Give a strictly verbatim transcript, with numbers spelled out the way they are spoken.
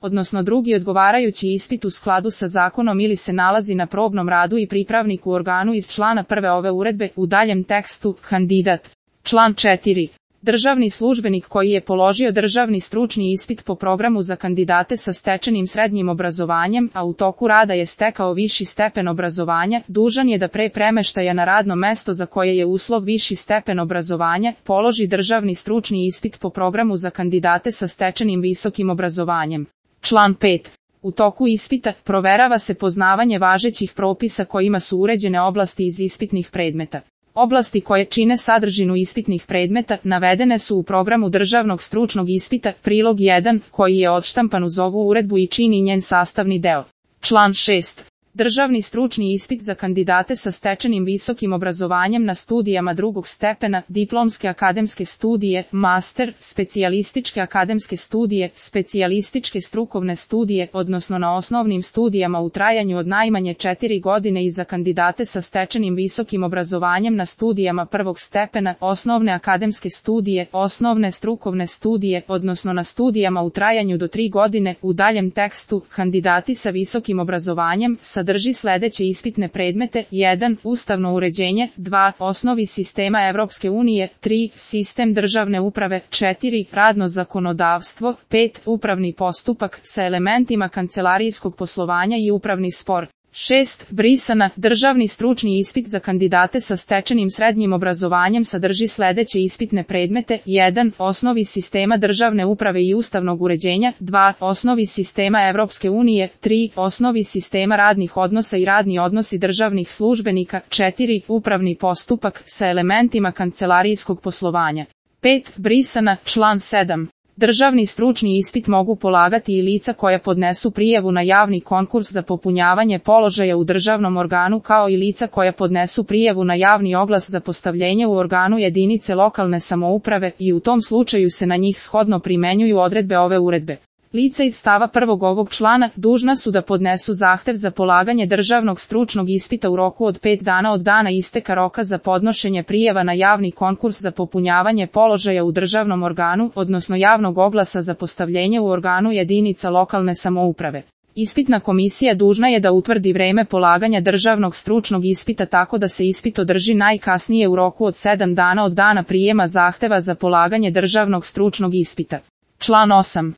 odnosno drugi odgovarajući ispit u skladu sa zakonom ili se nalazi na probnom radu i pripravnik u organu iz člana prve ove uredbe, u daljem tekstu, kandidat. Član četiri. Državni službenik koji je položio državni stručni ispit po programu za kandidate sa stečenim srednjim obrazovanjem, a u toku rada je stekao viši stepen obrazovanja, dužan je da pre premeštaja na radno mesto za koje je uslov viši stepen obrazovanja, položi državni stručni ispit po programu za kandidate sa stečenim visokim obrazovanjem. Član pet. U toku ispita proverava se poznavanje važećih propisa kojima su uređene oblasti iz ispitnih predmeta. Oblasti koje čine sadržinu ispitnih predmeta navedene su u programu državnog stručnog ispita, prilog jedan, koji je odštampan uz ovu uredbu i čini njen sastavni deo. Član šest. Državni stručni ispit za kandidate sa stečenim visokim obrazovanjem na studijama drugog stepena, diplomske akademske studije, master, specijalističke akademske studije, specijalističke strukovne studije, odnosno na osnovnim studijama u trajanju od najmanje četiri godine i za kandidate sa stečenim visokim obrazovanjem na studijama prvog stepena, osnovne akademske studije, osnovne strukovne studije, odnosno na studijama u trajanju do tri godine, u daljem tekstu, kandidati sa visokim obrazovanjem sa sadrži sledeće ispitne predmete: jedan. Ustavno uređenje, dva. Osnovi sistema Evropske unije, tri. Sistem državne uprave, četiri. Radno zakonodavstvo, pet. Upravni postupak sa elementima kancelarijskog poslovanja i upravni spor. šest. Brisana. Državni stručni ispit za kandidate sa stečenim srednjim obrazovanjem sadrži sledeće ispitne predmete: jedan. Osnovi sistema državne uprave i ustavnog uređenja, dva. Osnovi sistema Evropske unije, tri. Osnovi sistema radnih odnosa i radni odnosi državnih službenika, četiri. Upravni postupak sa elementima kancelarijskog poslovanja. pet. Brisana. Član sedam. Državni stručni ispit mogu polagati i lica koja podnesu prijavu na javni konkurs za popunjavanje položaja u državnom organu, kao i lica koja podnesu prijavu na javni oglas za postavljenje u organu jedinice lokalne samouprave i u tom slučaju se na njih shodno primenjuju odredbe ove uredbe. Lica iz stava prvog ovog člana dužna su da podnesu zahtev za polaganje državnog stručnog ispita u roku od pet dana od dana isteka roka za podnošenje prijava na javni konkurs za popunjavanje položaja u državnom organu, odnosno javnog oglasa za postavljenje u organu jedinica lokalne samouprave. Ispitna komisija dužna je da utvrdi vreme polaganja državnog stručnog ispita tako da se ispit održi najkasnije u roku od sedam dana od dana prijema zahteva za polaganje državnog stručnog ispita. Član osam.